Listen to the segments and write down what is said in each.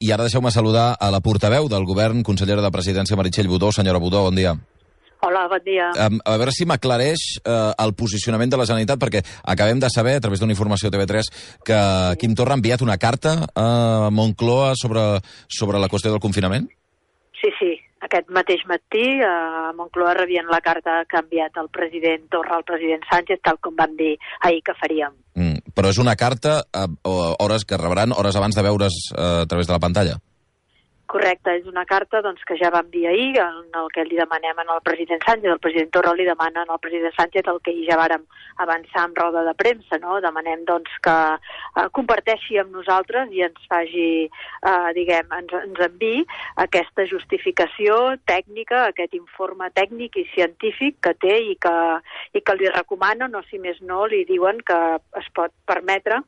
I ara deixeu-me saludar a la portaveu del govern, consellera de Presidència, Meritxell Budó. Senyora Budó, bon dia. Hola, bon dia. A veure si m'aclareix el posicionament de la Generalitat, perquè acabem de saber, a través d'una informació TV3, que Quim Torra ha enviat una carta a Moncloa sobre la qüestió del confinament? Sí. Aquest mateix matí a Moncloa rebien la carta que ha enviat el president Torra al president Sánchez, tal com vam dir ahir que faríem. Però és una carta hores que rebran hores abans de veure's a través de la pantalla? Correcte, és una carta que ja vam dir ahir, en el que li demanem al president Sánchez. El president Torra li demana al president Sánchez el que ja vàrem avançar en roda de premsa, no? Demanem que comparteixi amb nosaltres i ens faci, ens enviï aquesta justificació tècnica, aquest informe tècnic i científic que té i que li recomanen, o si més no, li diuen que es pot permetre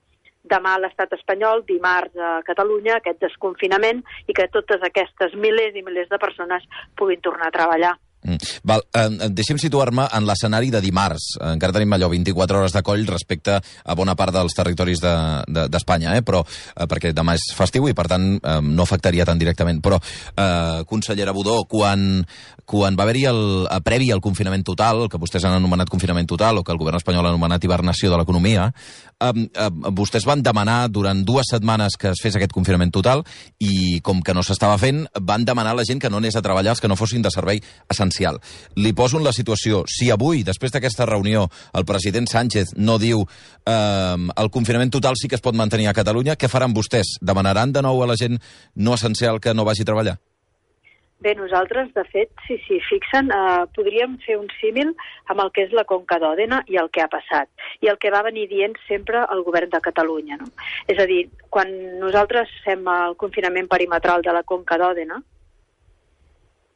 demà a l'estat espanyol, dimarts a Catalunya, aquest desconfinament i que totes aquestes milers i milers de persones puguin tornar a treballar. Deixi'm situar-me en l'escenari de dimarts. Encara tenim allò 24 hores de coll respecte a bona part dels territoris d'Espanya, però perquè demà és festiu i per tant no afectaria tan directament. Però, consellera Budó, quan va haver-hi previ al confinament total, el que vostès han anomenat confinament total o que el govern espanyol ha anomenat hibernació de l'economia, vostès van demanar durant 2 setmanes que es fes aquest confinament total i com que no s'estava fent, van demanar a la gent que no anés a treballar els que no fossin de servei essencial. Li poso en la situació, si avui, després d'aquesta reunió, el president Sánchez no diu el confinament total sí que es pot mantenir a Catalunya, què faran vostès? Demanaran de nou a la gent no essencial que no vagi a treballar? Bé, nosaltres, de fet, si s'hi fixen, podríem fer un símil amb el que és la Conca d'Òdena i el que ha passat, i el que va venir dient sempre el govern de Catalunya, no? És a dir, quan nosaltres fem el confinament perimetral de la Conca d'Òdena,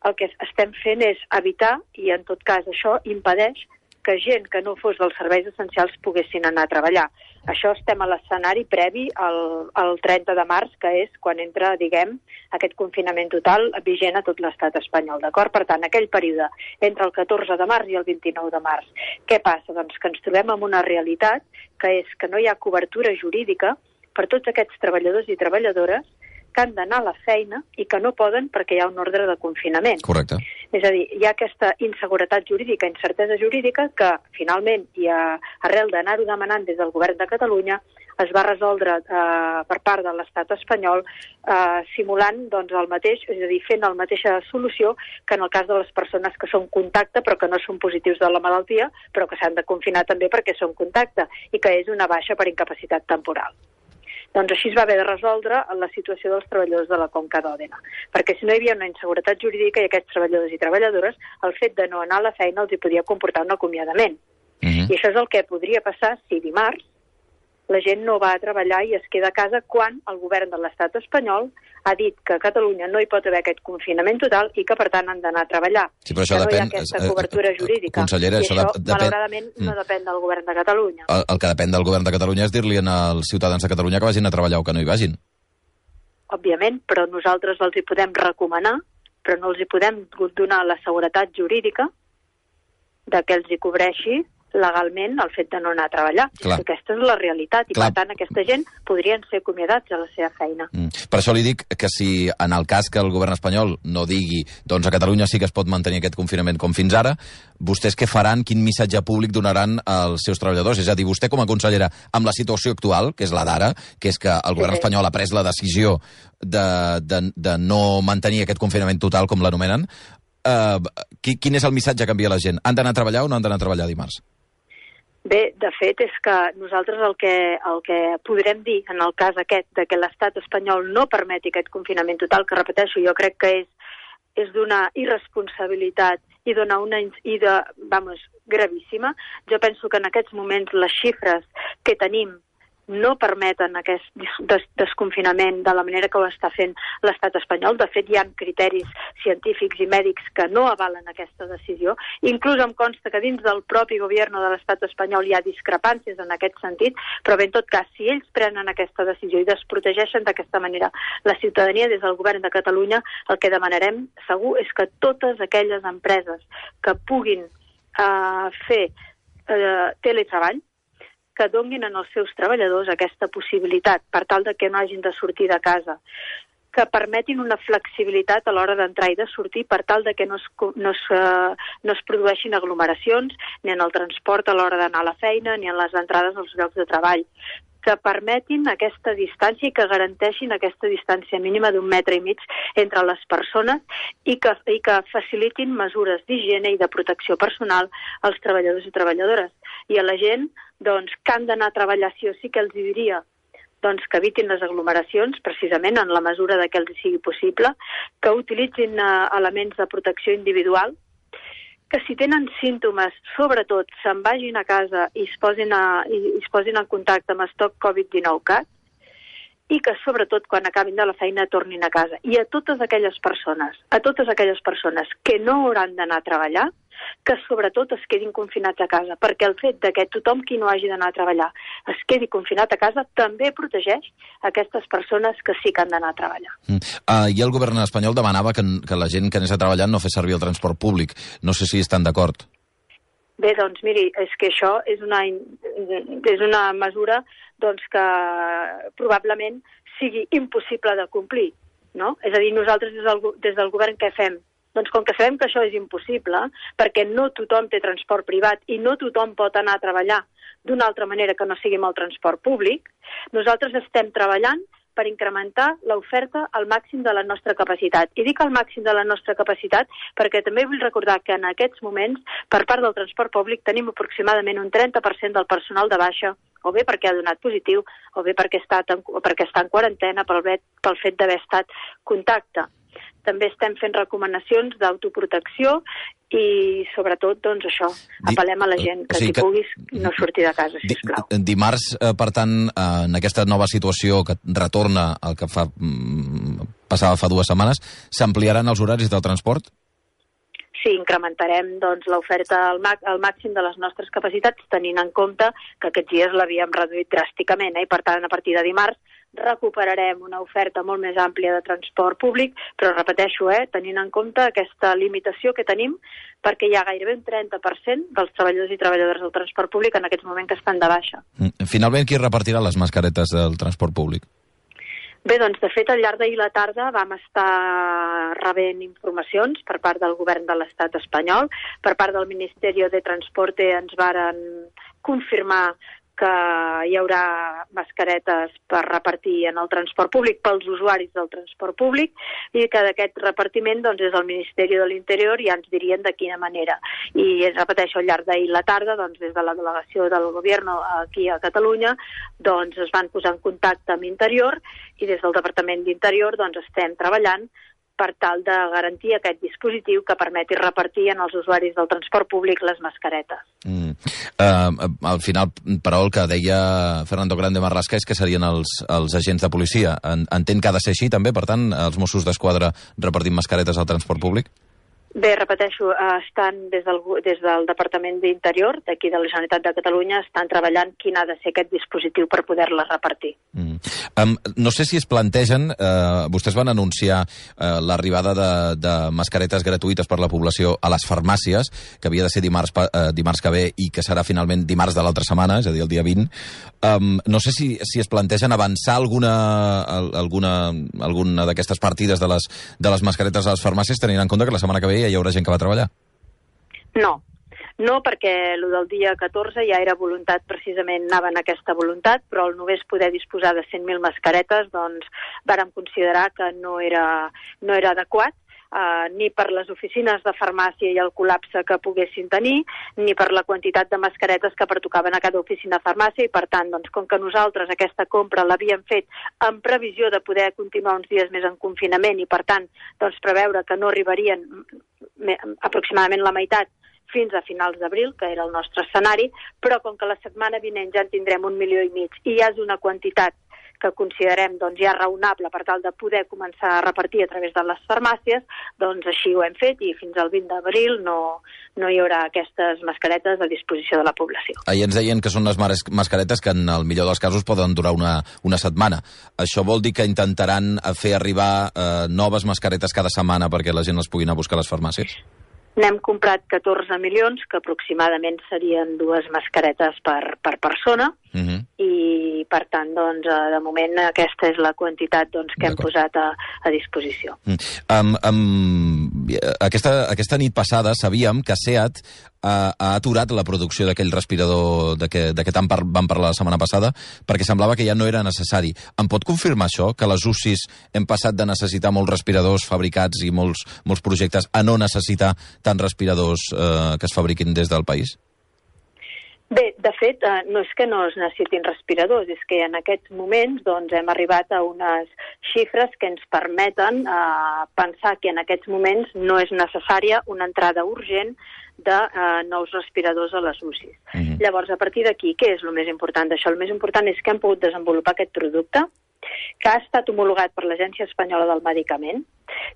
el que estem fent és evitar, i en tot cas això impedeix que gent que no fos dels serveis essencials poguessin anar a treballar. Això estem a l'escenari previ al 30 de març, que és quan entra, aquest confinament total vigent a tot l'estat espanyol, d'acord? Per tant, aquell període entre el 14 de març i el 29 de març. Què passa? Doncs que ens trobem amb una realitat que és que no hi ha cobertura jurídica per tots aquests treballadors i treballadores que han d'anar a la feina i que no poden perquè hi ha un ordre de confinament. Correcte. És a dir, hi ha aquesta inseguretat jurídica, incertesa jurídica, que finalment, i arrel d'anar-ho demanant des del govern de Catalunya, es va resoldre per part de l'estat espanyol simulant el mateix, és a dir, fent la mateixa solució que en el cas de les persones que són contacte però que no són positius de la malaltia, però que s'han de confinar també perquè són contacte i que és una baixa per incapacitat temporal. Doncs així es va haver de resoldre la situació dels treballadors de la Conca d'Òdena, perquè si no hi havia una inseguretat jurídica i aquests treballadors i treballadores, el fet de no anar a la feina els hi podia comportar un acomiadament. I això és el que podria passar si dimarts la gent no va a treballar i es queda a casa quan el govern de l'estat espanyol ha dit que a Catalunya no hi pot haver aquest confinament total i que, per tant, han d'anar a treballar. Sí, però això no depèn, hi ha aquesta cobertura jurídica. Consellera, I això, malauradament, no depèn del govern de Catalunya. El que depèn del govern de Catalunya és dir-li als ciutadans de Catalunya que vagin a treballar o que no hi vagin. Òbviament, però nosaltres els hi podem recomanar, però no els hi podem donar la seguretat jurídica de que els hi cobreixi legalment el fet de no anar a treballar. Aquesta és la realitat i, per tant, aquesta gent podrien ser acomiadats a la seva feina. Per això li dic que si en el cas que el govern espanyol no digui doncs a Catalunya sí que es pot mantenir aquest confinament com fins ara, vostès què faran, quin missatge públic donaran als seus treballadors? És a dir, vostè com a consellera, amb la situació actual, que és la d'ara, que és que el govern espanyol ha pres la decisió de no mantenir aquest confinament total, com l'anomenen, quin és el missatge que envia la gent? Han d'anar a treballar o no han d'anar a treballar dimarts? Bé, de fet, és que nosaltres el que podrem dir en el cas aquest de que l'estat espanyol no permeti aquest confinament total, que repeteixo, jo crec que és d'una irresponsabilitat i gravíssima. Jo penso que en aquests moments les xifres que tenim no permeten aquest desconfinament de la manera que ho està fent l'estat espanyol. De fet, hi ha criteris científics i mèdics que no avalen aquesta decisió. Inclús em consta que dins del propi govern de l'estat espanyol hi ha discrepàncies en aquest sentit, però bé, en tot cas, si ells prenen aquesta decisió i desprotegeixen d'aquesta manera la ciutadania des del govern de Catalunya, el que demanarem segur és que totes aquelles empreses que puguin fer teletreball, que donin als seus treballadors aquesta possibilitat per tal de que no hagin de sortir de casa que permetin una flexibilitat a l'hora d'entrar i de sortir per tal de que no es produeixin aglomeracions ni en el transport a l'hora d'anar a la feina ni en les entrades als llocs de treball, que permetin aquesta distància i que garanteixin aquesta distància mínima d'1,5 metres entre les persones i que facilitin mesures d'higiene i de protecció personal als treballadors i treballadores. I a la gent doncs, que han d'anar a treballar sí o sí, que els diria doncs, que evitin les aglomeracions, precisament en la mesura de que els sigui possible, que utilitzin elements de protecció individual, que si tenen símptomes, sobretot, se'n vagin a casa i es posin en contacte amb Stop Covid-19 CAT, i que, sobretot, quan acabin de la feina, tornin a casa. I a totes aquelles persones que no hauran d'anar a treballar, que, sobretot, es quedin confinats a casa, perquè el fet de que tothom qui no hagi d'anar a treballar es quedi confinat a casa també protegeix aquestes persones que sí que han d'anar a treballar. I el govern espanyol demanava que la gent que anés a treballar no fes servir el transport públic. No sé si estan d'acord. Bé, doncs miri, és que això és una mesura doncs, que probablement sigui impossible de complir, no? És a dir, nosaltres des del govern què fem? Doncs com que sabem que això és impossible, perquè no tothom té transport privat i no tothom pot anar a treballar d'una altra manera que no sigui amb el transport públic, nosaltres estem treballant per incrementar l'oferta al màxim de la nostra capacitat. I dic al màxim de la nostra capacitat perquè també vull recordar que en aquests moments, per part del transport públic, tenim aproximadament un 30% del personal de baixa, o bé perquè ha donat positiu, o bé perquè està en quarantena pel fet d'haver estat contacte. També estem fent recomanacions d'autoprotecció i, sobretot, doncs això, apel·lem a la gent que si puguis no sortir de casa, sisplau. Dimarts, per tant, en aquesta nova situació que retorna al que passava fa 2 setmanes, s'ampliaran els horaris del transport? Sí, incrementarem doncs, l'oferta al màxim de les nostres capacitats, tenint en compte que aquests dies l'havíem reduït dràsticament, i per tant, a partir de dimarts, recuperarem una oferta molt més àmplia de transport públic, però repeteixo, tenint en compte aquesta limitació que tenim, perquè hi ha gairebé un 30% dels treballadors i treballadores del transport públic en aquests moments que estan de baixa. Finalment, qui repartirà les mascaretes del transport públic? Bé, doncs, de fet, al llarg d'ahir la tarda vam estar rebent informacions per part del govern de l'estat espanyol, per part del Ministeri de Transporte ens varen confirmar que hi haurà mascaretes per repartir en el transport públic pels usuaris del transport públic i que d'aquest repartiment doncs, des del Ministeri de l'Interior ja ens dirien de quina manera. I repeteixo, al llarg d'ahir la tarda, doncs, des de la delegació del govern aquí a Catalunya, doncs, es van posar en contacte amb Interior i des del Departament d'Interior doncs, estem treballant per tal de garantir aquest dispositiu que permeti repartir en els usuaris del transport públic les mascaretes. Al final, però, el que deia Fernando Grande Marlaska és que serien els agents de policia. Entén que ha de ser així, també, per tant, els Mossos d'Esquadra repartint mascaretes al transport públic? Bé, repeteixo, estan des del Departament d'Interior, d'aquí de la Generalitat de Catalunya, estan treballant quin ha de ser aquest dispositiu per poder-la repartir. No sé si es plantegen, vostès van anunciar l'arribada de mascaretes gratuïtes per la població a les farmàcies, que havia de ser dimarts que ve i que serà finalment dimarts de l'altra setmana, és a dir, el dia 20. No sé si es plantegen avançar alguna d'aquestes partides de les mascaretes a les farmàcies, tenint en compte que la setmana que ve ja hi haurà gent que va treballar. No, perquè el del dia 14 ja era voluntat, precisament anava en aquesta voluntat, però al només poder disposar de 100.000 mascaretes, doncs vàrem considerar que no era adequat, ni per les oficines de farmàcia i el col·lapse que poguessin tenir, ni per la quantitat de mascaretes que pertocaven a cada oficina de farmàcia, i per tant, doncs, com que nosaltres aquesta compra l'havíem fet en previsió de poder continuar uns dies més en confinament i per tant, doncs, preveure que no arribarien aproximadament la meitat fins a finals d'abril, que era el nostre escenari, però com que la setmana vinent ja en tindrem 1,5 milions i ja és una quantitat que considerem doncs, ja raonable per tal de poder començar a repartir a través de les farmàcies, doncs així ho hem fet i fins al 20 d'abril no hi haurà aquestes mascaretes a disposició de la població. Ahir ens deien que són unes mascaretes que en el millor dels casos poden durar una setmana. Això vol dir que intentaran fer arribar noves mascaretes cada setmana perquè la gent les pugui anar a buscar a les farmàcies? N'hem comprat 14 milions, que aproximadament serien 2 mascaretes per persona, i per tant, doncs, de moment aquesta és la quantitat que hem posat a disposició. Aquesta nit passada sabíem que SEAT ha aturat la producció d'aquell respirador de què tant vam parlar la setmana passada, perquè semblava que ja no era necessari. Em pot confirmar això, que les UCIs hem passat de necessitar molts respiradors fabricats i molts projectes a no necessitar tants respiradors que es fabriquin des del país? Bé, de fet, no és que no es necessitin respiradors, és que en aquests moments hem arribat a unes xifres que ens permeten pensar que en aquests moments no és necessària una entrada urgent de nous respiradors a les UCIs. Llavors, a partir d'aquí, què és el més important d'això? El més important és que hem pogut desenvolupar aquest producte, que ha estat homologat per l'Agència Espanyola del Medicament,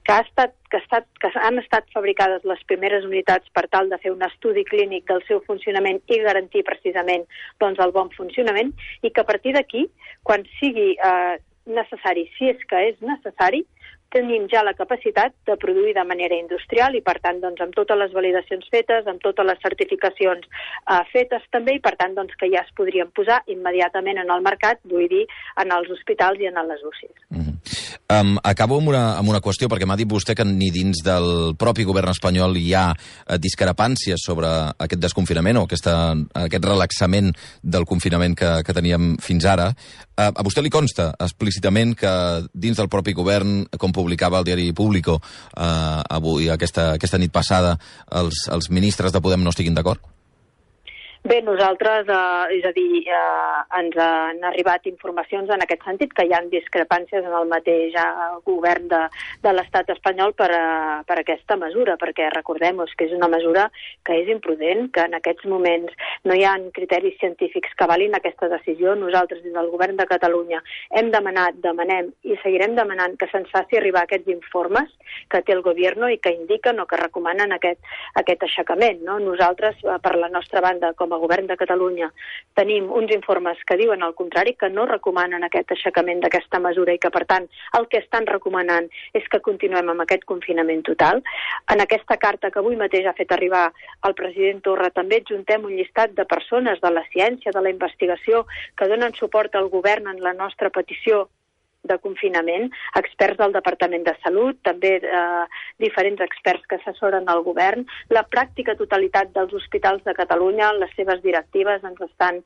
que han estat fabricades les primeres unitats per tal de fer un estudi clínic del seu funcionament i garantir precisament el bon funcionament, i que a partir d'aquí, quan sigui necessari, si és que és necessari, tenim ja la capacitat de produir de manera industrial i, per tant, amb totes les validacions fetes, amb totes les certificacions fetes també, i, per tant, que ja es podrien posar immediatament en el mercat, vull dir, en els hospitals i en les UCIs. Acabo amb una qüestió, perquè m'ha dit vostè que ni dins del propi govern espanyol hi ha discrepàncies sobre aquest desconfinament o aquest relaxament del confinament que teníem fins ara. A vostè li consta explícitament que dins del propi govern, com publicava el diari Público avui, aquesta nit passada, els ministres de Podem no estiguin d'acord? Bé, nosaltres, és a dir, ens han arribat informacions en aquest sentit, que hi ha discrepàncies en el mateix govern de l'estat espanyol per aquesta mesura, perquè recordem-nos que és una mesura que és imprudent, que en aquests moments no hi ha criteris científics que avalin aquesta decisió. Nosaltres, des del govern de Catalunya, hem demanat, demanem i seguirem demanant que se'ns faci arribar aquests informes que té el govern i que indiquen o que recomanen aquest aixecament. Nosaltres, per la nostra banda, com a govern de Catalunya, tenim uns informes que diuen el contrari, que no recomanen aquest aixecament d'aquesta mesura i que, per tant, el que estan recomanant és que continuem amb aquest confinament total. En aquesta carta que avui mateix ha fet arribar el president Torra també adjuntem un llistat de persones de la ciència, de la investigació, que donen suport al govern en la nostra petició de confinament, experts del Departament de Salut, també diferents experts que assessoren el govern. La pràctica totalitat dels hospitals de Catalunya, les seves directives, ens estan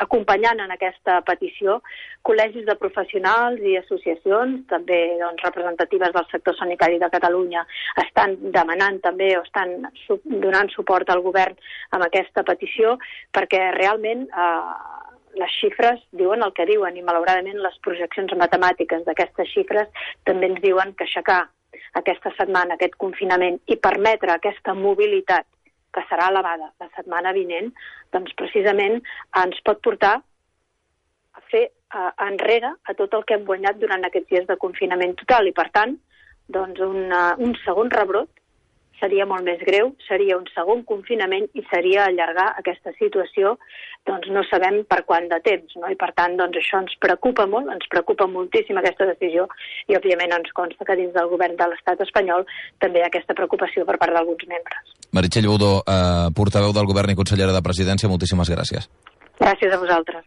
acompanyant en aquesta petició. Col·legis de professionals i associacions, també representatives del sector sanitari de Catalunya, estan demanant també o estan donant suport al govern amb aquesta petició, perquè realment les xifres diuen el que diuen i, malauradament, les projeccions matemàtiques d'aquestes xifres també ens diuen que aixecar aquesta setmana aquest confinament i permetre aquesta mobilitat que serà elevada la setmana vinent, doncs precisament ens pot portar a fer enrere a tot el que hem guanyat durant aquests dies de confinament total i, per tant, doncs un segon rebrot seria molt més greu, seria un segon confinament i seria allargar aquesta situació, doncs no sabem per quant de temps, no? I per tant, doncs això ens preocupa molt, ens preocupa moltíssim aquesta decisió i òbviament ens consta que dins del govern de l'estat espanyol també hi ha aquesta preocupació per part d'alguns membres. Meritxell Budó, portaveu del govern i consellera de Presidència, moltíssimes gràcies. Gràcies a vosaltres.